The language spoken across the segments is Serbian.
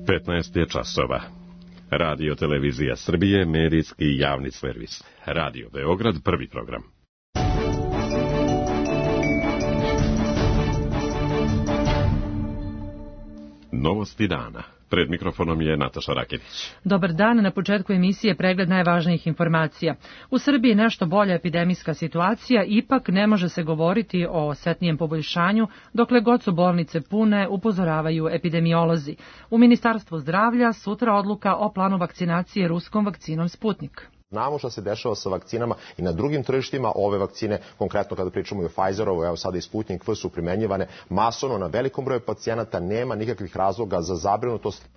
15 je časova. Radio Televizija Srbije, medijski javni servis. Radio Beograd, prvi program. Novosti dana. Pred mikrofonom je Nataša Raketić. Dobar dan, na početku emisije pregled najvažnijih informacija. U Srbiji je nešto bolja epidemijska situacija, ipak ne može se govoriti o osetnijem poboljšanju, dokle god su bolnice pune, upozoravaju epidemiolozi. U Ministarstvu zdravlja sutra odluka o planu vakcinacije ruskom vakcinom Sputnik. Znamo šta se dešava sa vakcinama i na drugim tržištima. Ove vakcine, konkretno kada pričamo i o Pfizerovu, evo sada i Sputnik V, su primenjivane masovno na velikom broju pacijenata, nema nikakvih razloga za zabrinutost.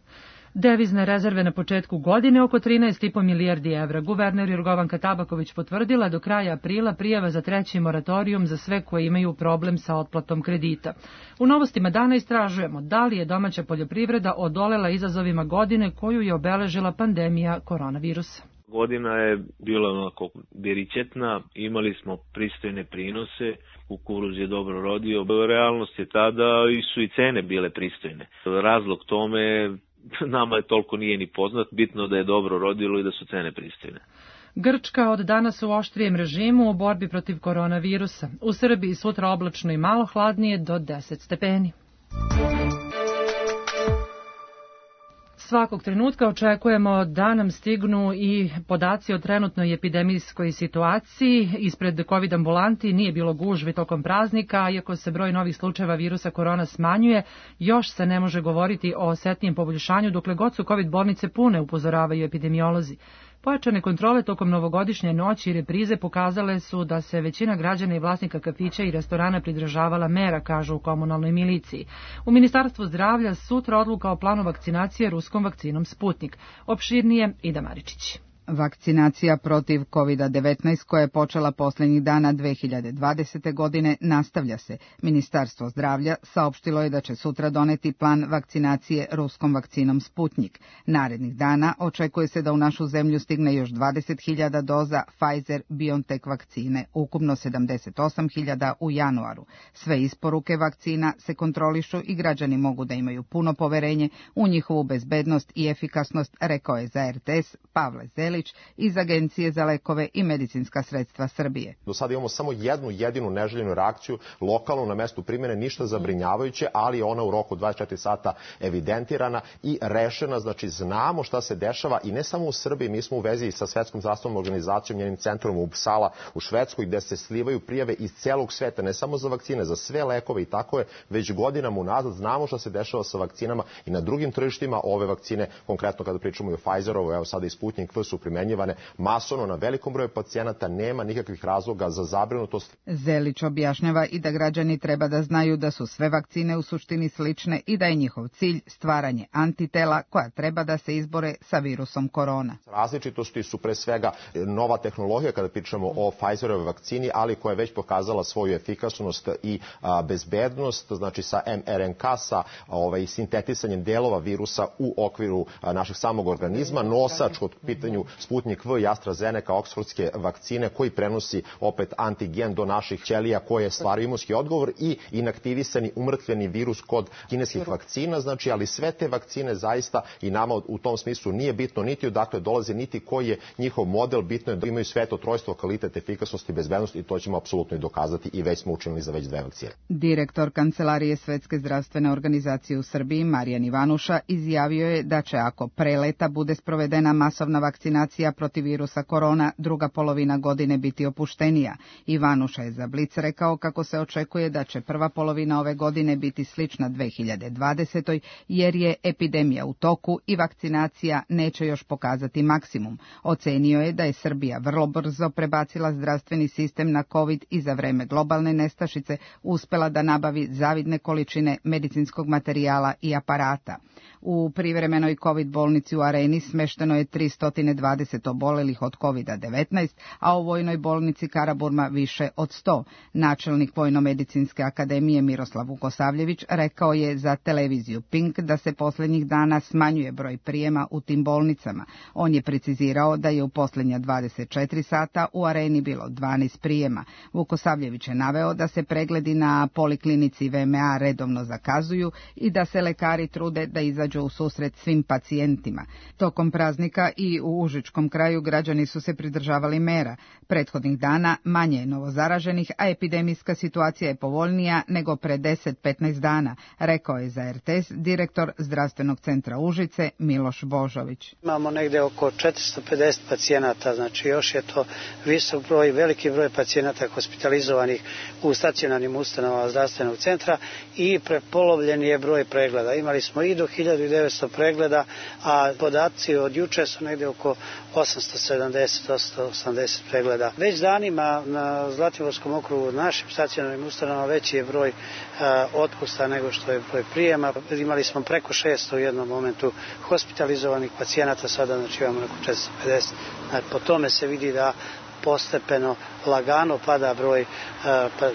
Devizne rezerve na početku godine oko 13,5 milijardi evra. Guverner Jorgovanka Tabaković potvrdila do kraja aprila prijava za treći moratorijum za sve koji imaju problem sa otplatom kredita. U novostima dana istražujemo da li je domaća poljoprivreda odolela izazovima godine koju je obeležila pandemija koronavirusa. Godina je bila onako beričetna, imali smo pristojne prinose, kukuruz je dobro rodio. Realnost je tada su i cene bile pristojne. Razlog tome nama je toliko nije ni poznat, bitno da je dobro rodilo i da su cene pristojne. Grčka od danas u oštrijem režimu u borbi protiv koronavirusa. U Srbiji sutra oblačno i malo hladnije do 10 stepeni. Svakog trenutka očekujemo da nam stignu i podaci o trenutnoj epidemijskoj situaciji. Ispred COVID ambulanti nije bilo gužvi tokom praznika, iako se broj novih slučajeva virusa korona smanjuje, još se ne može govoriti o osetnijem poboljšanju dokle god su COVID bolnice pune, upozoravaju epidemiolozi. Pojačane kontrole tokom novogodišnje noći i reprize pokazale su da se većina građana i vlasnika kafića i restorana pridržavala mera, kažu u komunalnoj miliciji. U Ministarstvu zdravlja sutra odluka o planu vakcinacije ruskom vakcinom Sputnik. Opširnije Ida Maričić. Vakcinacija protiv COVID-19 koja je počela posljednjih dana 2020. godine nastavlja se. Ministarstvo zdravlja saopštilo je da će sutra doneti plan vakcinacije ruskom vakcinom Sputnik. Narednih dana očekuje se da u našu zemlju stigne još 20.000 doza Pfizer-BioNTech vakcine, ukupno 78.000 u januaru. Sve isporuke vakcina se kontrolišu i građani mogu da imaju puno poverenje u njihovu bezbednost i efikasnost, rekao je za RTS Pavle Zelić iz Agencije za lekove i medicinska sredstva Srbije. Do sada imamo samo jednu jedinu neželjenu reakciju lokalno na mestu primjene, ništa zabrinjavajuće, ali je ona u roku 24 sata evidentirana i rešena. Znači znamo šta se dešava i ne samo u Srbiji, mi smo u vezi sa Svetskom zdravstvenom organizacijom, njenim centrom u Uppsala u Švedskoj, gde se slivaju prijave iz celog sveta, ne samo za vakcine, za sve lekove i tako je već godinama unazad. Znamo šta se dešava sa vakcinama i na drugim tržištima. Ove vakcine, konkretno kada pričamo i o Pfizerovu, evo sada i Sputnik V, su primenjivane masovno na velikom broju pacijenata, nema nikakvih razloga za zabrinutost. Zelić objašnjava i da građani treba da znaju da su sve vakcine u suštini slične i da je njihov cilj stvaranje antitela koja treba da se izbore sa virusom korona. Različitosti su pre svega nova tehnologija kada pričamo o Pfizerovoj vakcini, ali koja je već pokazala svoju efikasnost i bezbednost, znači sa mRNK, sa sintetisanjem delova virusa u okviru našeg samog organizma. Nosač kod pitanju Sputnik V i AstraZeneca, oksfordske vakcine, koji prenosi opet antigen do naših ćelija koje stvaraju imunski odgovor i inaktivisani umrtvljeni virus kod kineskih vakcina, znači, ali sve te vakcine zaista i nama u tom smislu nije bitno niti odakle dolaze, niti koji je njihov model, bitno je da imaju sve to trojstvo, kvalitet, efikasnost i bezbednost i to ćemo apsolutno i dokazati i već smo učinili za već 2 vakcine. Direktor Kancelarije Svetske zdravstvene organizacije u Srbiji, Marijan Ivanuša, izjavio je da će ako pre leta bude sprovedena masovna vakcinacija protiv virusa korona, druga polovina godine biti opuštenija. Ivanuša je za Blic rekao kako se očekuje da će prva polovina ove godine biti slična 2020. jer je epidemija u toku i vakcinacija neće još pokazati maksimum. Ocenio je da je Srbija vrlo brzo prebacila zdravstveni sistem na COVID i za vreme globalne nestašice uspela da nabavi zavidne količine medicinskog materijala i aparata. U privremenoj COVID bolnici u Areni smešteno je 320 2020 obolelih od COVID-19, a u Vojnoj bolnici Karaburma više od 100. Načelnik Vojno-medicinske akademije Miroslav Vukosavljević rekao je za televiziju Pink da se posljednjih dana smanjuje broj prijema u tim bolnicama. On je precizirao da je u posljednja 24 sata u Areni bilo 12 prijema. Vukosavljević je naveo da se pregledi na poliklinici VMA redovno zakazuju i da se lekari trude da izađu u susret svim pacijentima. Tokom praznika i u Užičkom kraju građani su se pridržavali mera. Prethodnih dana manje je novozaraženih, a epidemijska situacija je povoljnija nego pre 10-15 dana, rekao je za RTS direktor Zdravstvenog centra Užice Miloš Božović. Imamo negde oko 450 pacijenata, znači još je to visok broj, veliki broj pacijenata hospitalizovanih u stacionarnim ustanovama zdravstvenog centra i prepolovljen je broj pregleda. Imali smo i do 1900 pregleda, a podaci od juče su negde oko 870-880 pregleda. Već danima na Zlatiborskom okrugu u našim stacionarnim ustanovama veći je broj otpusta nego što je broj prijema. Imali smo preko 600 u jednom momentu hospitalizovanih pacijenata, sada znači imamo oko 450. Po tome se vidi da postepeno, lagano pada broj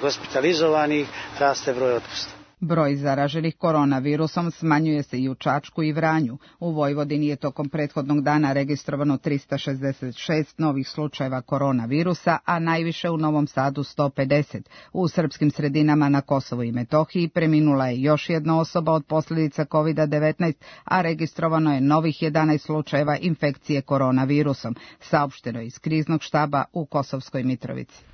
hospitalizovanih, raste broj otpusta. Broj zaraženih koronavirusom smanjuje se i u Čačku i Vranju. U Vojvodini je tokom prethodnog dana registrovano 366 novih slučajeva koronavirusa, a najviše u Novom Sadu 150. U srpskim sredinama na Kosovu i Metohiji preminula je još jedna osoba od posljedica COVID-19, a registrovano je novih 11 slučajeva infekcije koronavirusom, saopšteno je iz kriznog štaba u Kosovskoj Mitrovici.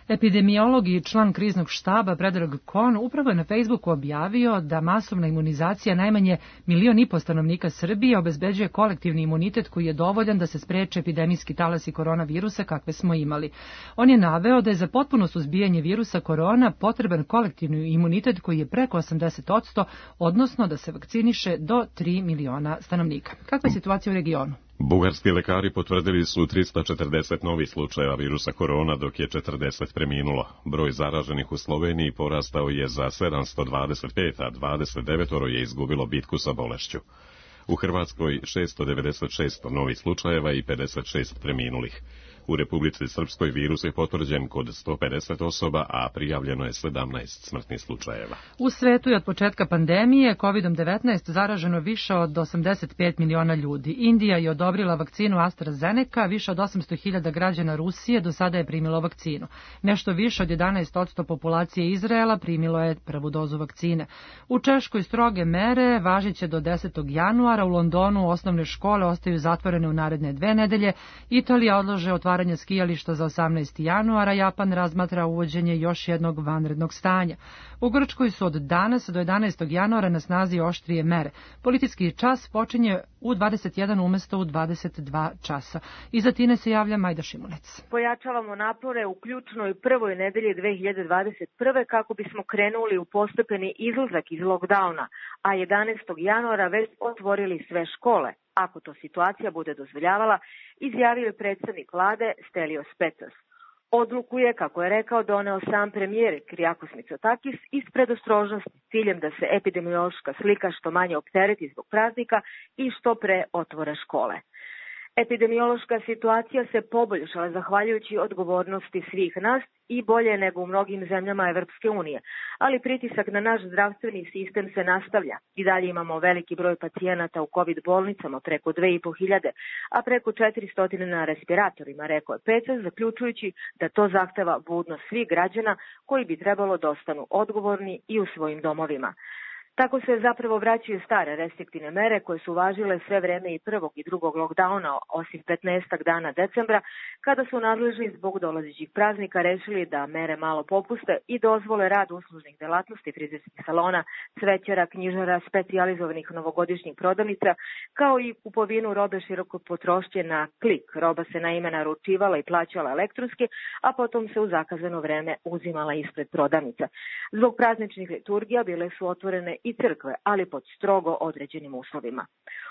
Epidemiolog i član kriznog štaba Predrag Kon upravo je na Facebooku objavio da masovna imunizacija najmanje 1,5 miliona stanovnika Srbije obezbeđuje kolektivni imunitet koji je dovoljan da se spreče epidemijski talasi koronavirusa kakve smo imali. On je naveo da je za potpuno suzbijanje virusa korona potreban kolektivni imunitet koji je preko 80%, odnosno da se vakciniše do 3 miliona stanovnika. Kakva je situacija u regionu? Bugarski lekari potvrdili su 340 novih slučajeva virusa korona, dok je 40 preminulo. Broj zaraženih u Sloveniji porastao je za 725, a 29 je izgubilo bitku sa bolešću. U Hrvatskoj 696 novih slučajeva i 56 preminulih. U Republici Srpskoj virus je potvrđen kod 150 osoba, a prijavljeno je 17 smrtnih slučajeva. U svetu je od početka pandemije COVID-19 zaraženo više od 85 miliona ljudi. Indija je odobrila vakcinu AstraZeneca, više od 800.000 građana Rusije do sada je primilo vakcinu. Nešto više od 11% populacije Izraela primilo je prvu dozu vakcine. U Češkoj stroge mere važiće do 10. januara, u Londonu osnovne škole ostaju zatvorene u naredne 2 nedelje, Italija odlaže otvaranje skijališta za 18. januara, Japan razmatra uvođenje još jednog vanrednog stanja. U Grčkoj su od danas do 11. januara na snazi oštrije mere. Policijski čas počinje u 21 umesto u 22 časa. Iz Atine se javlja Majda Šimunec. Pojačavamo napore u ključnoj prvoj nedelji 2021. kako bismo krenuli u postepeni izlazak iz lockdowna, a 11. januara već otvorili sve škole, ako to situacija bude dozvoljavala, izjavio je predsjednik vlade Stelios Pecas. Odluku je, kako je rekao, doneo sam premijer Kyriakos Mitsotakis iz predostrožnosti s ciljem da se epidemiološka slika što manje optereti zbog praznika i što pre otvore škole. Epidemiološka situacija se poboljšala zahvaljujući odgovornosti svih nas i bolje nego u mnogim zemljama Evropske unije, ali pritisak na naš zdravstveni sistem se nastavlja. I dalje imamo veliki broj pacijenata u COVID bolnicama, preko 2.500, a preko 400 na respiratorima, rekao je Pecas, zaključujući da to zahteva budnost svih građana koji bi trebalo da ostanu odgovorni i u svojim domovima. Tako se zapravo vraćaju stare restriktivne mere koje su važile sve vreme i prvog i drugog lockdowna, osim 15 dana decembra, kada su nadležni zbog dolazećih praznika rešili da mere malo popuste i dozvole rad uslužnih delatnosti, frizerskih salona, cvećara, knjižara, specijalizovanih novogodišnjih prodavnica, kao i kupovinu robe širokog potrošnje na klik. Roba se naime naručivala i plaćala elektronski, a potom se u zakazano vreme uzimala ispred prodavnica. Zbog prazničnih liturgija bile su otvorene i crkve, ali pod strogo određenim uslovima.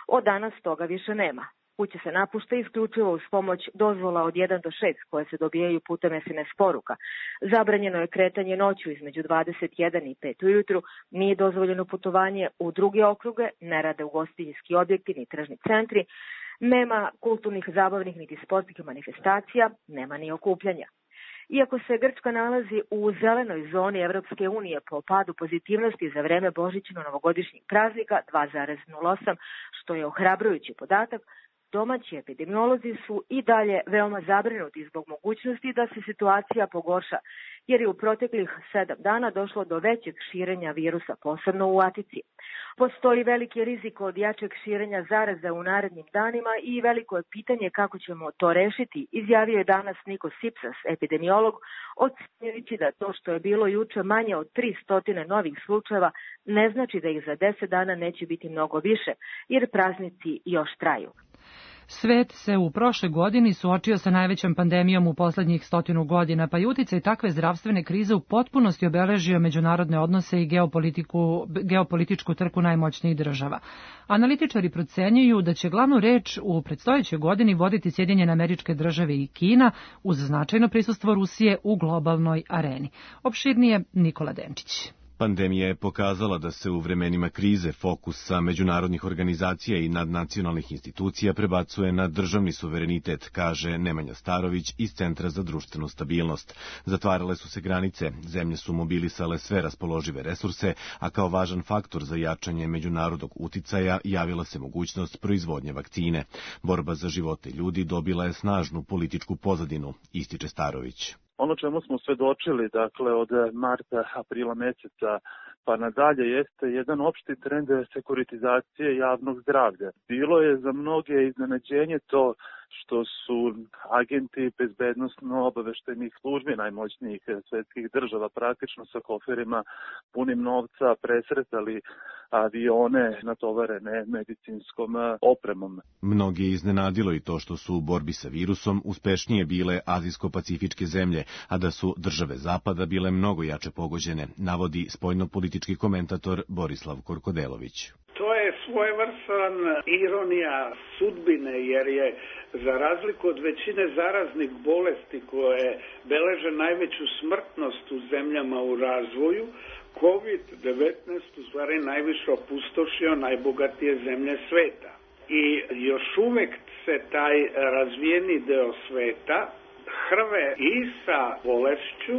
Od danas toga više nema. Kuće se napušta isključivo uz pomoć dozvola od 1 do 6 koje se dobijaju putem SMS poruka. Zabranjeno je kretanje noću između 21 i 5 ujutru, nije dozvoljeno putovanje u druge okruge, ne rade ugostiteljski objekti ni tržni centri, Nema kulturnih, zabavnih niti sportskih manifestacija, nema ni okupljanja. Iako se Grčka nalazi u zelenoj zoni Evropske unije po padu pozitivnosti za vreme božićno-novogodišnjeg praznika 2,08, što je ohrabrujući podatak, domaći epidemiolozi su i dalje veoma zabrinuti zbog mogućnosti da se situacija pogorša, jer je u proteklih 7 dana došlo do većeg širenja virusa, posebno u Atici. Postoji veliki rizik od jačeg širenja zaraze u narednim danima i veliko je pitanje kako ćemo to rešiti, izjavio je danas Nikos Sipsas, epidemiolog, ocenjujući da to što je bilo juče manje od 300 novih slučajeva ne znači da ih za 10 dana neće biti mnogo više, jer praznici još traju. Svet se u prošloj godini suočio sa najvećom pandemijom u poslednjih 100 godina, pa i uticaj takve zdravstvene krize u potpunosti obeležio međunarodne odnose i geopolitičku trku najmoćnijih država. Analitičari procenjuju da će glavnu reč u predstojećoj godini voditi Sjedinjene Američke Države i Kina uz značajno prisustvo Rusije u globalnoj areni. Opširnije Nikola Denčić. Pandemija je pokazala da se u vremenima krize fokus sa međunarodnih organizacija i nadnacionalnih institucija prebacuje na državni suverenitet, kaže Nemanja Starović iz Centra za društvenu stabilnost. Zatvarale su se granice, zemlje su mobilisale sve raspoložive resurse, a kao važan faktor za jačanje međunarodnog uticaja javila se mogućnost proizvodnje vakcine. Borba za živote ljudi dobila je snažnu političku pozadinu, ističe Starović. Ono čemu smo svedočili, dakle, od marta, aprila meseca pa nadalje jeste jedan opšti trend sekuritizacije javnog zdravlja. Bilo je za mnoge iznenađenje to što su agenti bezbednosno-obaveštajnih službi najmoćnijih svetskih država praktično sa koferima punim novca presretali avione natovarene medicinskom opremom. Mnogi je iznenadilo i to što su u borbi sa virusom uspešnije bile azijsko-pacifičke zemlje, a da su države Zapada bile mnogo jače pogođene, navodi spoljnopolitički komentator Borislav Korkodelović. To je svojevrstan ironija sudbine, jer je za razliku od većine zaraznih bolesti koje beleže najveću smrtnost u zemljama u razvoju, COVID-19 u stvari najviše opustošio najbogatije zemlje sveta. I još uvek se taj razvijeni deo sveta hrve i sa bolešću,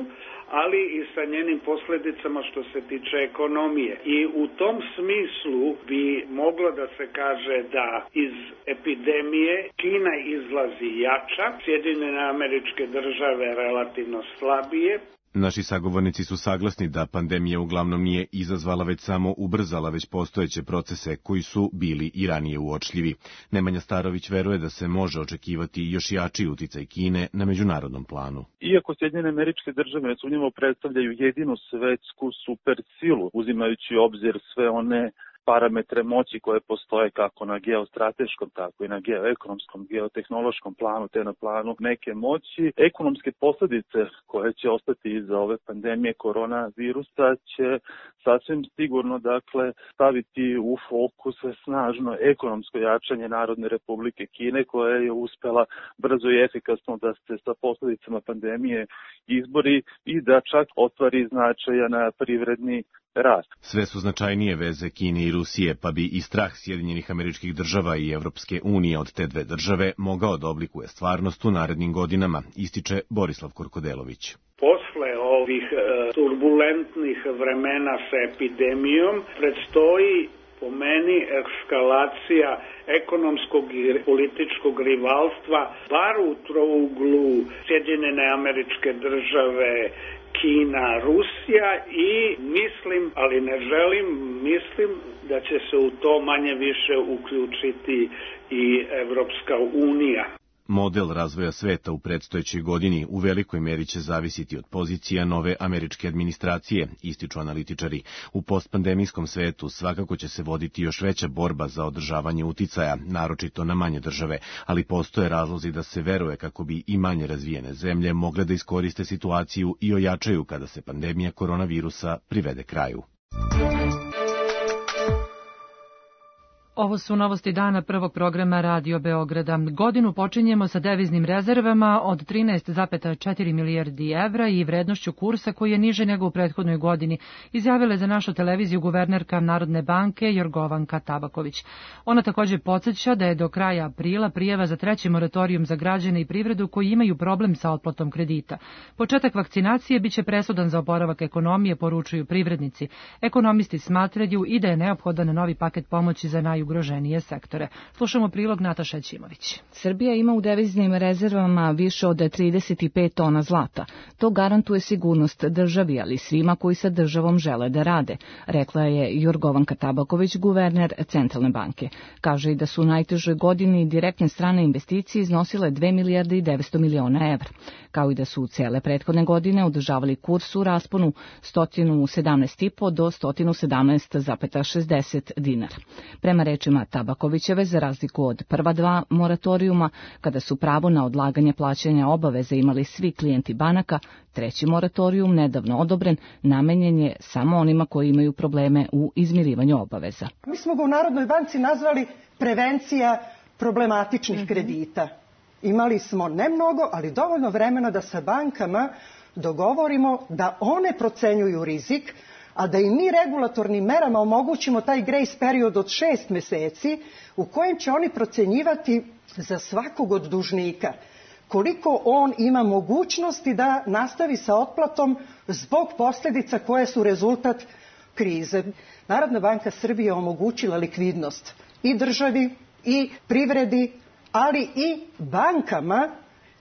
ali i sa njenim posledicama što se tiče ekonomije. I u tom smislu bi moglo da se kaže da iz epidemije Kina izlazi jača, Sjedinjene Američke Države relativno slabije. Naši sagovornici su saglasni da pandemija uglavnom nije izazvala, već samo ubrzala već postojeće procese koji su bili i ranije uočljivi. Nemanja Starović veruje da se može očekivati još jači uticaj Kine na međunarodnom planu. Iako Sjedinjene Američke Države nesumnjivo predstavljaju jedinu svetsku supersilu, uzimajući u obzir sve one parametre moći koje postoje kako na geostrateškom, tako i na geoekonomskom, geotehnološkom planu, te na planu neke moći. Ekonomske posljedice koje će ostati iza ove pandemije koronavirusa će sasvim sigurno staviti u fokus snažno ekonomsko jačanje Narodne Republike Kine, koja je uspela brzo i efikasno da se sa posljedicama pandemije izbori i da čak ostvari značajan privredni rast. Sve su značajnije veze Kine i Rusije, pa bi i strah Sjedinjenih Američkih Država i Evropske unije od te dve države mogao da oblikuje stvarnost u narednim godinama, ističe Borislav Korkodelović. Posle ovih turbulentnih vremena sa epidemijom predstoji po meni eskalacija ekonomskog i političkog rivalstva, bar u trouglu Sjedinjene Američke Države, Kina, Rusija i mislim, ali ne želim, mislim da će se u to manje više uključiti i Evropska unija. Model razvoja sveta u predstojećoj godini u velikoj meri će zavisiti od pozicija nove američke administracije, ističu analitičari. U postpandemijskom svetu svakako će se voditi još veća borba za održavanje uticaja, naročito na manje države, ali postoje razlozi da se veruje kako bi i manje razvijene zemlje mogle da iskoriste situaciju i ojačaju kada se pandemija koronavirusa privede kraju. Ovo su novosti dana prvog programa Radio Beograda. Godinu počinjemo sa deviznim rezervama od 13,4 milijardi evra i vrednošću kursa koji je niže nego u prethodnoj godini, izjavila je za našu televiziju guvernerka Narodne banke Jorgovanka Tabaković. Ona također podsjeća da je do kraja aprila prijava za treći moratorijum za građane i privredu koji imaju problem sa otplatom kredita. Početak vakcinacije biće presudan za oporavak ekonomije, poručuju privrednici. Ekonomisti smatraju i da je neophodan novi paket pomoći za najugroženije sektore. Slušamo prilog Nataša Ćimović. Srbija ima u deviznim rezervama više od 35 tona zlata. To garantuje sigurnost državi, ali svima koji sa državom žele da rade, rekla je Jorgovanka Tabaković, guverner Centralne banke. Kaže i da su u najtežoj godini direktne strane investicije iznosile 2 milijarde i 900 miliona evra, kao i da su cele prethodne godine održavali kurs u rasponu 117,5 do 117,60 dinara. Prema rečima Tabakovićeve, za razliku od prva dva moratorijuma, kada su pravo na odlaganje plaćanja obaveze imali svi klijenti banaka, treći moratorijum, nedavno odobren, namenjen je samo onima koji imaju probleme u izmirivanju obaveza. Mi smo ga u Narodnoj banci nazvali prevencija problematičnih kredita. Imali smo ne mnogo, ali dovoljno vremena da sa bankama dogovorimo da one procenjuju rizik, a da i mi regulatornim merama omogućimo taj grace period od 6 meseci u kojem će oni procenjivati za svakog od dužnika koliko on ima mogućnosti da nastavi sa otplatom zbog posljedica koje su rezultat krize. Narodna banka Srbije omogućila likvidnost i državi i privredi, ali i bankama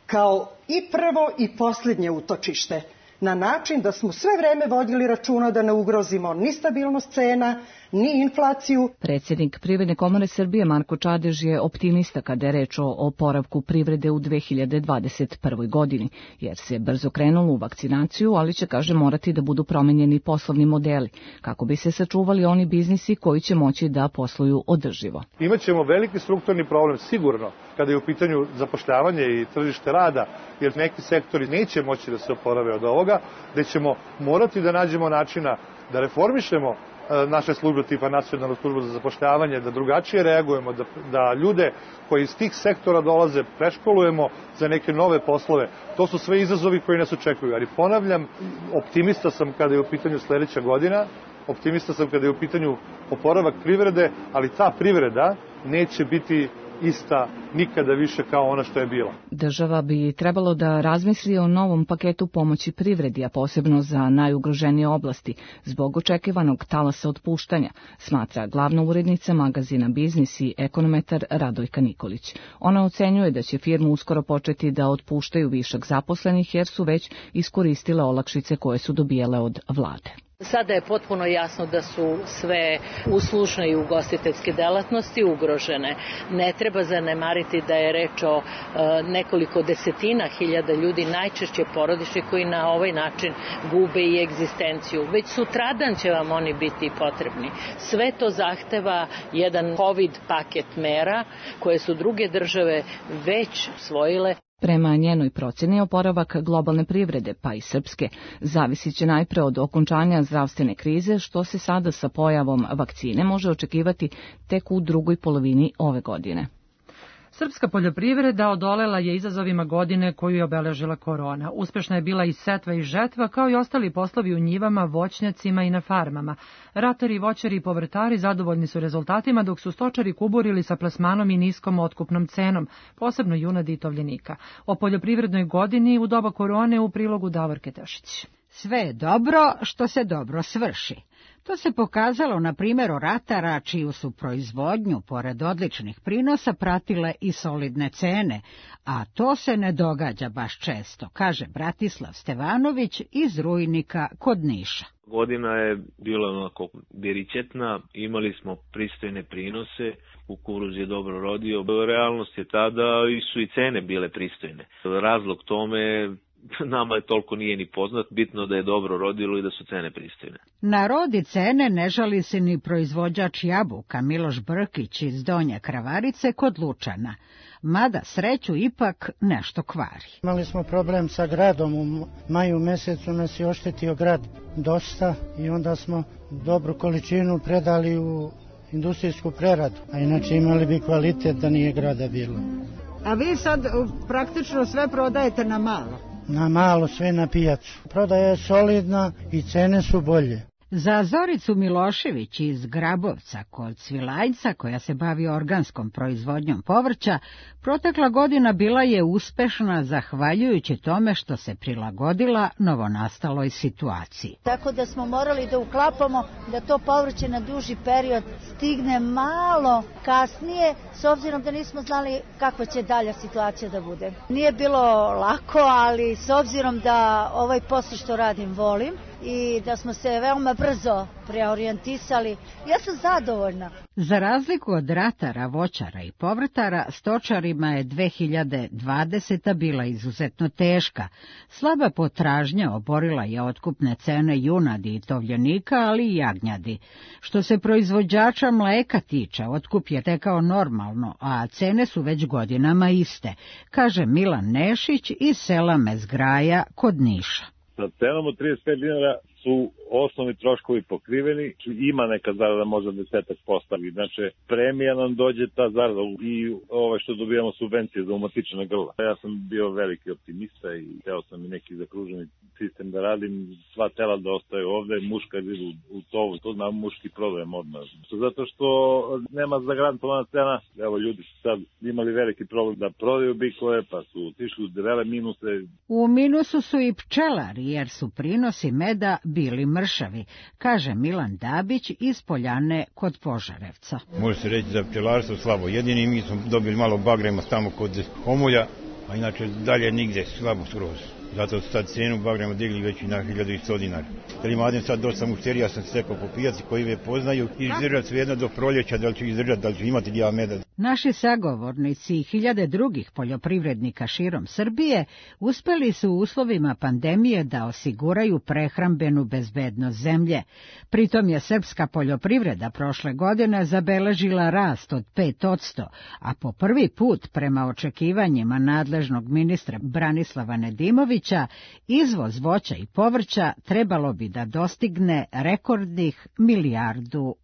kao i prvo i posljednje utočište, na način da smo sve vreme vodili računa da ne ugrozimo ni stabilnost cena, ni inflaciju. Predsjednik Privredne komore Srbije Marko Čadež je optimista kada je reč o oporavku privrede u 2021. godini, jer se brzo krenulo u vakcinaciju, ali će, kaže, morati da budu promenjeni poslovni modeli, kako bi se sačuvali oni biznisi koji će moći da posluju održivo. Imaćemo veliki strukturni problem, sigurno, kada je u pitanju zapošljavanje i tržište rada, jer neki sektori neće moći da se oporave od ovoga, gde ćemo morati da nađemo načina da reformišemo naše službe tipa Nacionalnu službu za zapošljavanje, da drugačije reagujemo, da ljude koji iz tih sektora dolaze preškolujemo za neke nove poslove. To su sve izazovi koji nas očekuju. Ali ponavljam, optimista sam kada je u pitanju sledeća godina, optimista sam kada je u pitanju oporavak privrede, ali ta privreda neće biti ista nikada više kao ona što je bila. Država bi trebalo da razmisli o novom paketu pomoći privredi, a posebno za najugroženije oblasti, zbog očekivanog talasa otpuštanja, smatra glavna urednica magazina Biznis i ekonometar Radojka Nikolić. Ona ocenjuje da će firme uskoro početi da otpuštaju višak zaposlenih jer su već iskoristile olakšice koje su dobijale od vlade. Sada je potpuno jasno da su sve uslužne i ugostiteljske delatnosti ugrožene. Ne treba zanemariti da je reč o nekoliko desetina hiljada ljudi, najčešće porodični, koji na ovaj način gube i egzistenciju. Već sutradan će vam oni biti potrebni. Sve to zahteva jedan COVID paket mera koje su druge države već usvojile. Prema njenoj procjeni, oporavak globalne privrede, pa i srpske, zavisit će najpre od okončanja zdravstvene krize, što se sada sa pojavom vakcine može očekivati tek u drugoj polovini ove godine. Srpska poljoprivreda odolela je izazovima godine koju je obeležila korona. Uspešna je bila i setva i žetva, kao i ostali poslovi u njivama, voćnjacima i na farmama. Ratari, voćari i povrtari zadovoljni su rezultatima, dok su stočari kuburili sa plasmanom i niskom otkupnom cenom, posebno junadi i tovljenika. O poljoprivrednoj godini u doba korone u prilogu Davorke Tešić. Sve je dobro što se dobro svrši. To se pokazalo na primjeru ratara, čiju su proizvodnju, pored odličnih prinosa, pratile i solidne cene, a to se ne događa baš često, kaže Bratislav Stevanović iz Rujnika kod Niša. Godina je bila onako beričetna, imali smo pristojne prinose, kukuruz je dobro rodio. Realnost je tada su i cene bile pristojne. Razlog tome nama je toliko nije ni poznat, bitno da je dobro rodilo i da su cene pristojne. Na rodi cene ne žali se ni proizvođač jabuka Miloš Brkić iz Donje Kravarice kod Lučana, mada sreću ipak nešto kvari. Imali smo problem sa gradom, u maju mesecu nas je oštetio grad dosta i onda smo dobru količinu predali u industrijsku preradu, a inače imali bi kvalitet da nije grada bilo. A vi sad praktično sve prodajete na malo? Na malo, sve na pijacu. Prodaja je solidna i cene su bolje. Za Zoricu Milošević iz Grabovca kod Svilajca, koja se bavi organskom proizvodnjom povrća, protekla godina bila je uspešna zahvaljujući tome što se prilagodila novonastaloj situaciji. Tako da smo morali da uklapamo da to povrće na duži period stigne malo kasnije, s obzirom da nismo znali kakva će dalja situacija da bude. Nije bilo lako, ali s obzirom da ovaj posao što radim volim, i da smo se veoma brzo preorijentisali, ja sam zadovoljna. Za razliku od ratara, voćara i povrtara, stočarima je 2020. bila izuzetno teška. Slaba potražnja oborila je otkupne cene junadi i tovljenika, ali i jagnjadi. Što se proizvođača mleka tiče, otkup je tekao normalno, a cene su već godinama iste, kaže Milan Nešić iz sela Mezgraja kod Niša. Sa cenom od 35 dinara su osnovni troškovi pokriveni, ima neka zarada možda 10%, znači premija nam dođe ta zarada i što dobijamo subvencije za umatičena grla. Ja sam bio veliki optimista i teo sam i neki zakruženi sistem da radim, sva tela da ostaju ovde, muška idu u tovu, to na muški problem odmah. Zato što nema zagarantovana cena, evo ljudi su sad imali veliki problem da prodaju bikove, pa su otišli u debele minuse. U minusu su i pčelari, jer su prinosi meda bili mršavi, kaže Milan Dabić iz Poljane kod Požarevca. Može se reći za pčelarstvo slabo. Jedini mi smo dobili malo bagrema tamo kod Homolja, a inače dalje nigde, slabo skroz. Zato su sad cenu bagrema digli već i na 1100 dinara. Jer imam sad dosta mušterija, sam stekao po pijaci koji me poznaju i izdržati svejedno do proljeća, da li će izdržati, da li će imati djela meda. Naši sagovornici i hiljade drugih poljoprivrednika širom Srbije uspeli su u uslovima pandemije da osiguraju prehrambenu bezbednost zemlje. Pritom je srpska poljoprivreda prošle godine zabeležila rast od 5%, a po prvi put, prema očekivanjima nadležnog ministra Branislava Nedimovića, izvoz voća i povrća trebalo bi da dostigne rekordnih $1 milijardu.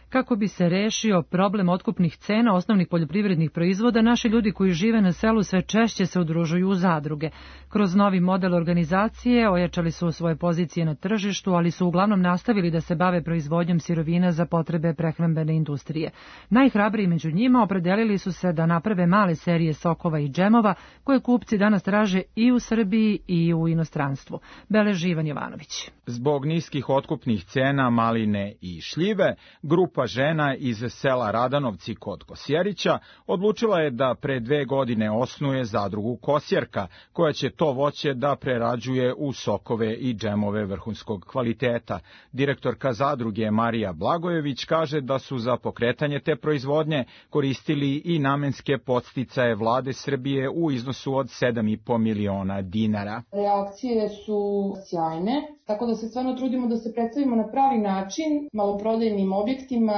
Kako bi se rešio problem otkupnih cena osnovnih poljoprivrednih proizvoda, naši ljudi koji žive na selu sve češće se udružuju u zadruge. Kroz novi model organizacije ojačali su svoje pozicije na tržištu, ali su uglavnom nastavili da se bave proizvodnjom sirovina za potrebe prehrambene industrije. Najhrabriji među njima opredelili su se da naprave male serije sokova i džemova koje kupci danas traže i u Srbiji i u inostranstvu. Beleži Ivan Jovanović. Zbog niskih otkupnih cena maline i šljive, grupa žena iz sela Radanovci kod Kosjerića odlučila je da pre 2 godine osnuje zadrugu Kosjerka, koja će to voće da prerađuje u sokove i džemove vrhunskog kvaliteta. Direktorka zadruge Marija Blagojević kaže da su za pokretanje te proizvodnje koristili i namenske podsticaje vlade Srbije u iznosu od 7,5 miliona dinara. Reakcije su sjajne, tako da se stvarno trudimo da se predstavimo na pravi način maloprodajnim objektima,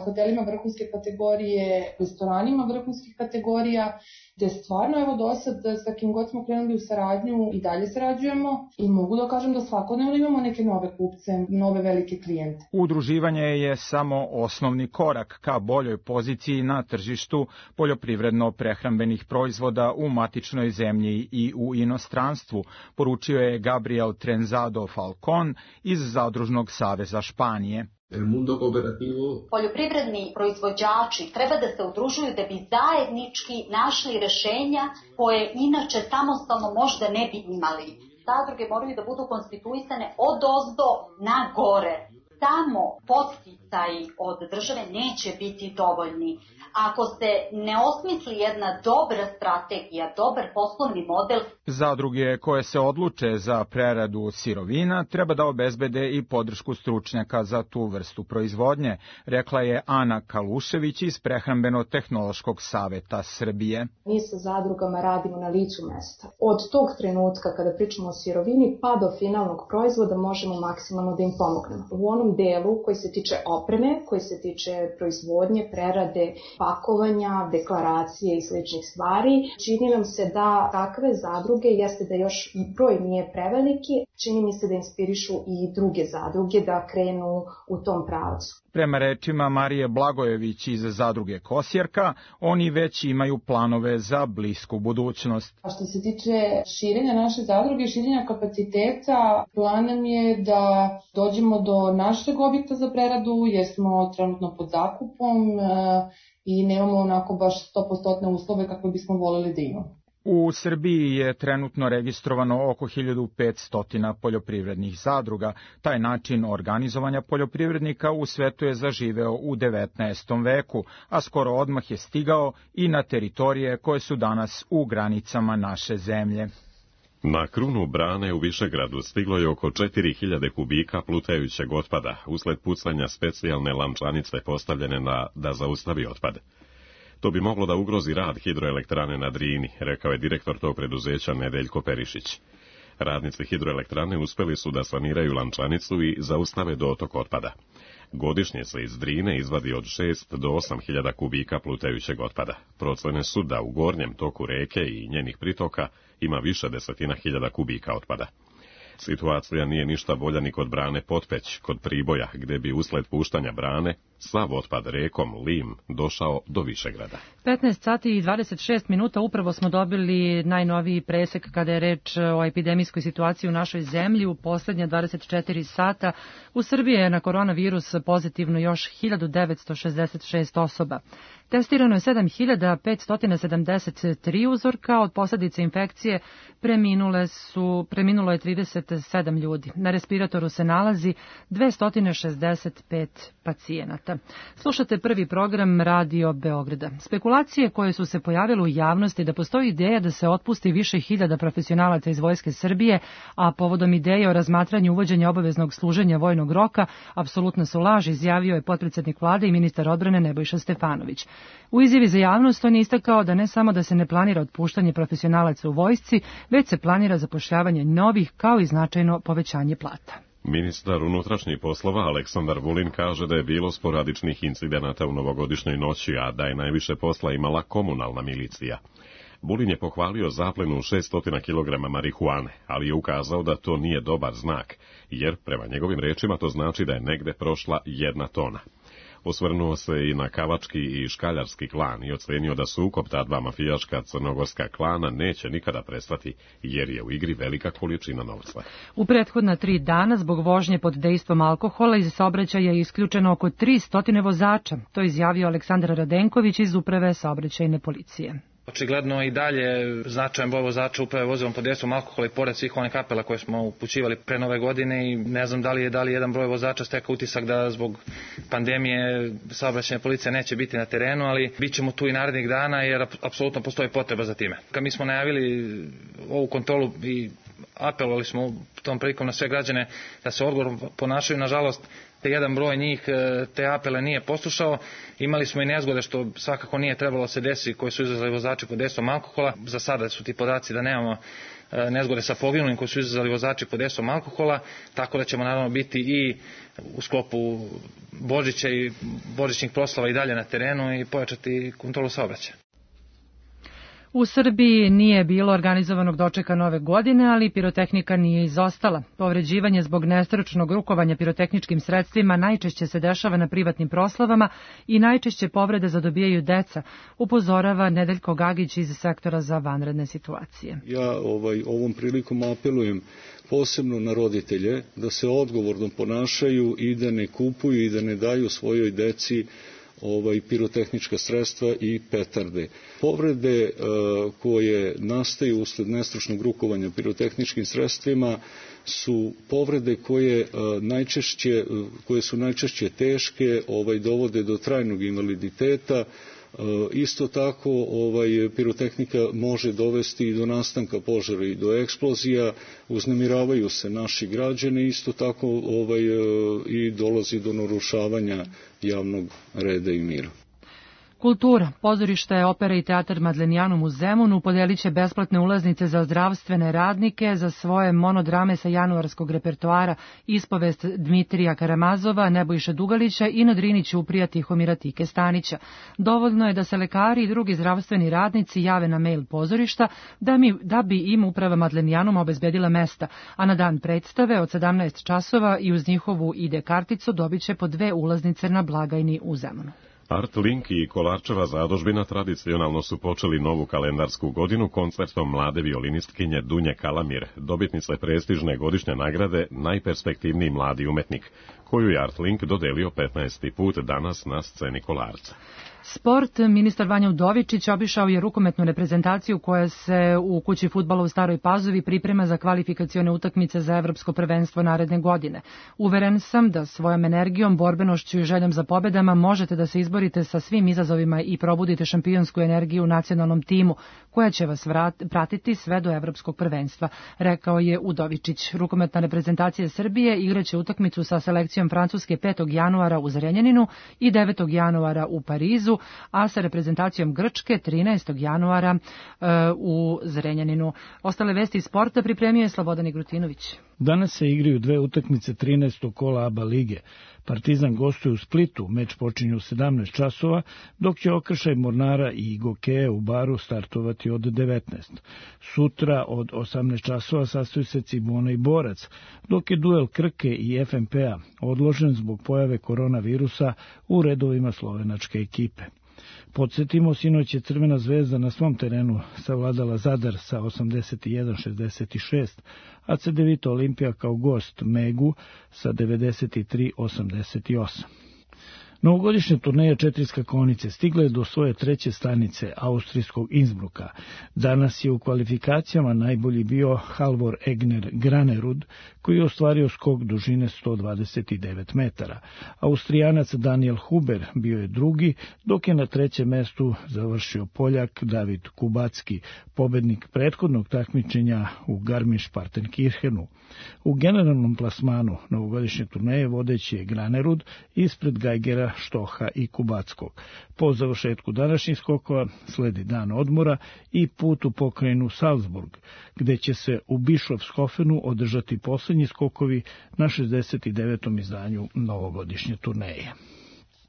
hotelima vrhunske kategorije, restoranima vrhunskih kategorija, gde stvarno evo do sad sa kim god smo krenuli u saradnju i dalje sarađujemo i mogu da kažem da svakodnevno imamo neke nove kupce, nove velike klijente. Udruživanje je samo osnovni korak ka boljoj poziciji na tržištu poljoprivredno-prehrambenih proizvoda u matičnoj zemlji i u inostranstvu, poručio je Gabriel Trenzado Falcon iz Zadružnog saveza Španije. Poljoprivredni proizvođači treba da se udružuju da bi zajednički našli rešenja koje inače samostalno možda ne bi imali. Zadruge moraju da budu konstituisane od ozdo na gore. Samo podsticaji od države neće biti dovoljni. Ako se ne osmisli jedna dobra strategija, dobar poslovni model... Zadruge koje se odluče za preradu sirovina treba da obezbede i podršku stručnjaka za tu vrstu proizvodnje, rekla je Ana Kalušević iz Prehrambeno-tehnološkog saveta Srbije. Mi sa zadrugama radimo na licu mesta. Od tog trenutka kada pričamo o sirovini pa do finalnog proizvoda možemo maksimalno da im pomognemo. U onom delu koji se tiče opreme, koji se tiče proizvodnje, prerade, pakovanja, deklaracije i sličnih stvari. Čini nam se da takve zadruge, jeste da još broj nije preveliki, čini mi se da inspirišu i druge zadruge da krenu u tom pravcu. Prema rečima Marije Blagojević iz zadruge Kosjerka, oni već imaju planove za blisku budućnost. A što se tiče širenja naše zadruge, širenja kapaciteta, plan nam je da dođemo do našeg objekta za preradu, jer smo trenutno pod zakupom i nemamo onako baš 100% uslove kakve bismo voleli da imamo. U Srbiji je trenutno registrovano oko 1500 poljoprivrednih zadruga. Taj način organizovanja poljoprivrednika u svetu je zaživeo u 19. veku, a skoro odmah je stigao i na teritorije koje su danas u granicama naše zemlje. Na krunu brane u Višegradu stiglo je oko 4000 kubika plutajućeg otpada usled pucanja specijalne lančanice postavljene da zaustavi otpad. To bi moglo da ugrozi rad hidroelektrane na Drini, rekao je direktor tog preduzeća Nedeljko Perišić. Radnici hidroelektrane uspeli su da saniraju lančanicu i zaustave dotok otpada. Godišnje se iz Drine izvadi od 6 do 8.000 kubika plutajućeg otpada. Procene su da u gornjem toku reke i njenih pritoka ima više desetina hiljada kubika otpada. Situacija nije ništa bolja ni kod brane Potpeć, kod Priboja, gde bi usled puštanja brane sav otpad rekom Lim došao do Višegrada. 15 sati i 26 minuta upravo smo dobili najnoviji presek kada je reč o epidemijskoj situaciji u našoj zemlji. U poslednje 24 sata u Srbiji je na koronavirus pozitivno još 1966 osoba. Testirano je 7573 uzorka, od posljedice infekcije preminulo je 37 ljudi. Na respiratoru se nalazi 265 pacijenata. Slušate prvi program Radio Beograda. Spekulacije koje su se pojavile u javnosti da postoji ideja da se otpusti više hiljada profesionalaca iz Vojske Srbije, a povodom ideje o razmatranju uvođenja obaveznog služenja vojnog roka, apsolutno su laž, izjavio je potpredsednik vlade i ministar odbrane Nebojša Stefanović. U izjavi za javnost on je istakao da ne samo da se ne planira otpuštanje profesionalaca u vojsci, već se planira zapošljavanje novih kao i značajno povećanje plata. Ministar unutrašnjih poslova Aleksandar Vulin kaže da je bilo sporadičnih incidenata u novogodišnjoj noći, a da je najviše posla imala komunalna milicija. Vulin je pohvalio zaplenu 600 kg marihuane, ali je ukazao da to nije dobar znak, jer prema njegovim rečima to znači da je negde prošla 1 tona. Osvrnuo se i na kavački i škaljarski klan i ocenio da sukob ta dva mafijaška crnogorska klana neće nikada prestati, jer je u igri velika količina novca. U prethodna 3 dana zbog vožnje pod dejstvom alkohola iz saobraćaja je isključeno oko 300 vozača. To je izjavio Aleksandar Radenković iz Uprave saobraćajne policije. Očigledno i dalje značajan broj vozača uprave vozilom pod dejstvom alkohola i pored svih onih apela koje smo upućivali pre nove godine i ne znam da li jedan broj vozača stekao utisak da zbog pandemije saobraćajna policija neće biti na terenu, ali bit ćemo tu i narednih dana jer apsolutno postoji potreba za time. Kad mi smo najavili ovu kontrolu i apelovali smo tom prilikom na sve građane da se odgovorno ponašaju, nažalost jedan broj njih te apele nije poslušao. Imali smo i nezgode što svakako nije trebalo se desi koji su izazvali vozači pod dejstvom alkohola. Za sada su ti podaci da nemamo nezgode sa poginulim koji su izazvali vozači pod dejstvom alkohola, tako da ćemo naravno biti i u sklopu Božića i božićnih proslava i dalje na terenu i pojačati kontrolu saobraćaja. U Srbiji nije bilo organizovanog dočeka nove godine, ali pirotehnika nije izostala. Povređivanje zbog nestručnog rukovanja pirotehničkim sredstvima najčešće se dešava na privatnim proslavama i najčešće povrede zadobijaju deca, upozorava Nedeljko Gagić iz sektora za vanredne situacije. Ja ovom prilikom apelujem posebno na roditelje da se odgovorno ponašaju i da ne kupuju i da ne daju svojoj deci pirotehnička sredstva i petarde. Povrede koje nastaju usled nestručnog rukovanja pirotehničkim sredstvima su povrede koje su najčešće teške, dovode do trajnog invaliditeta. Isto tako pirotehnika može dovesti i do nastanka požara i do eksplozija, uznemiravaju se naši građani, isto tako i dolazi do narušavanja javnog reda i mira. Kultura, pozorište, opera i teatar Madlenijanum u Zemunu podelit će besplatne ulaznice za zdravstvene radnike za svoje monodrame sa januarskog repertoara Ispovest Dmitrija Karamazova, Nebojše Dugalića i Na Drini ćuprija Tihomira Tike Stanića. Dovoljno je da se lekari i drugi zdravstveni radnici jave na mail pozorišta da bi im uprava Madlenijanuma obezbedila mesta, a na dan predstave od 17 časova i uz njihovu ID karticu dobit će po 2 ulaznice na blagajni u Zemunu. Artlink i Kolarčeva zadužbina tradicionalno su počeli novu kalendarsku godinu koncertom mlade violinistkinje Dunje Kalamir, dobitnice prestižne godišnje nagrade Najperspektivniji mladi umetnik, koju je Artlink dodelio 15. put danas na sceni Kolarca. Sport, ministar Vanja Udovičić obišao je rukometnu reprezentaciju koja se u kući fudbala u Staroj Pazovi priprema za kvalifikacione utakmice za evropsko prvenstvo naredne godine. Uveren sam da svojom energijom, borbenošću i željom za pobedama možete da se izborite sa svim izazovima i probudite šampionsku energiju u nacionalnom timu, koja će vas pratiti sve do evropskog prvenstva, rekao je Udovičić. Rukometna reprezentacija Srbije igraće utakmicu sa selekcijom Francuske 5. januara u Zrenjaninu i 9. januara u Parizu, a sa reprezentacijom Grčke 13. januara u Zrenjaninu. Ostale vesti iz sporta pripremio je Slobodan Igrutinović. Danas se igraju 2 utakmice 13. kola ABA lige. Partizan gostuje u Splitu, meč počinje u 17 časova, dok će okršaj Mornara i Gokeja u Baru startovati od 19. Sutra od 18 časova sastoji se Cibona i Borac, dok je duel Krke i FNP-a odložen zbog pojave koronavirusa u redovima slovenačke ekipe. Podsjetimo, sinoć je Crvena zvezda na svom terenu savladala Zadar sa 81-66, a Cedevita Olimpija kao gost Megu sa 93-88. Novogodišnja turneja 4 skakonice stigla je do svoje 3. stanice austrijskog Innsbrucka. Danas je u kvalifikacijama najbolji bio Halvor Egner Granerud, koji je ostvario skok dužine 129 metara. Austrijanac Daniel Huber bio je drugi, dok je na 3. mestu završio Poljak David Kubacki, pobednik prethodnog takmičenja u Garmisch-Partenkirchenu. U generalnom plasmanu novogodišnje turneje vodeći je Granerud ispred Geigera, Štoha i Kubackog. Po završetku današnjih skokova sledi dan odmora i put u pokrajinu Salzburg, gde će se u Bischofshofenu održati poslednji skokovi na 69. izdanju novogodišnje turneje.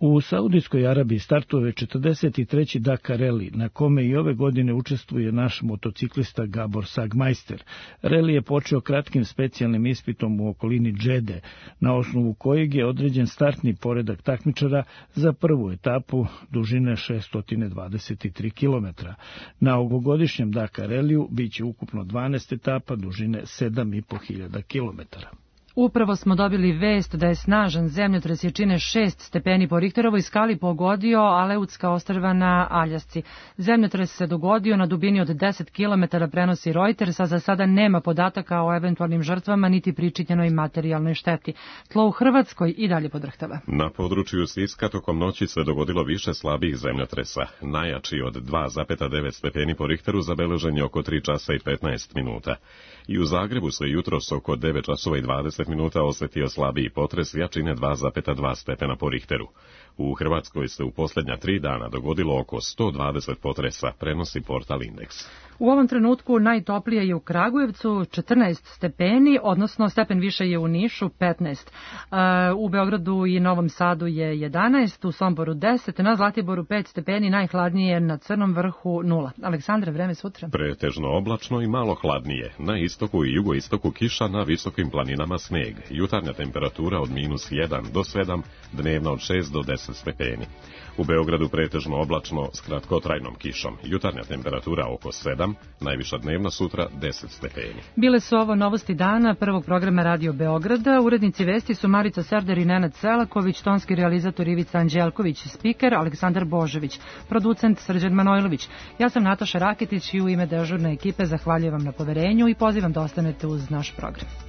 U Saudijskoj Arabiji startuje 43. Dakar Rally, na kome i ove godine učestvuje naš motociklista Gabor Sagmeister. Rally je počeo kratkim specijalnim ispitom u okolini Džede, na osnovu kojeg je određen startni poredak takmičara za prvu etapu dužine 623 km. Na ovogodišnjem Dakar Rallyu biće ukupno 12 etapa dužine 7.500 km. Upravo smo dobili vest da je snažan zemljotres jačine 6 stepeni po Richterovoj skali pogodio Aleutska ostrva na Aljasci. Zemljotres se dogodio na dubini od 10 km, prenosi Reuters, a za sada nema podataka o eventualnim žrtvama niti pričinjenoj materijalnoj šteti. Tlo u Hrvatskoj i dalje podrhtava. Na području Siska tokom noći se dogodilo više slabih zemljotresa. Najjači od 2,9 stepeni po Richteru zabeležen je oko 3 časa i 15 minuta. I u Zagrebu se jutros oko 9 časova i 20 minuta osetio slabiji potres jačine 2,2 stepena po Richteru. U Hrvatskoj se u posljednja 3 dana dogodilo oko 120 potresa, prenosi portal Indeks. U ovom trenutku najtoplije je u Kragujevcu 14 stepeni, odnosno stepen više je u Nišu 15. U Beogradu i Novom Sadu je 11, u Somboru 10, na Zlatiboru 5 stepeni, najhladnije je na Crnom vrhu 0. Aleksandre, vreme sutra? Pretežno oblačno i malo hladnije. Na istoku i jugoistoku kiša, na visokim planinama sneg. Jutarnja temperatura od -1 do 7, dnevna od 6 do 10 stepeni. U Beogradu pretežno oblačno s kratkotrajnom kišom. Jutarnja temperatura oko 7, najviša dnevna sutra 10 stepeni. Bile su ovo novosti dana prvog programa Radio Beograda. Urednici vesti su Marica Serder i Nenad Selaković, tonski realizator Ivica Anđelković, spiker Aleksandar Božović, producent Srđan Manojlović. Ja sam Nataša Raketić i u ime dežurne ekipe zahvaljujem vam na poverenju i pozivam da ostanete uz naš program.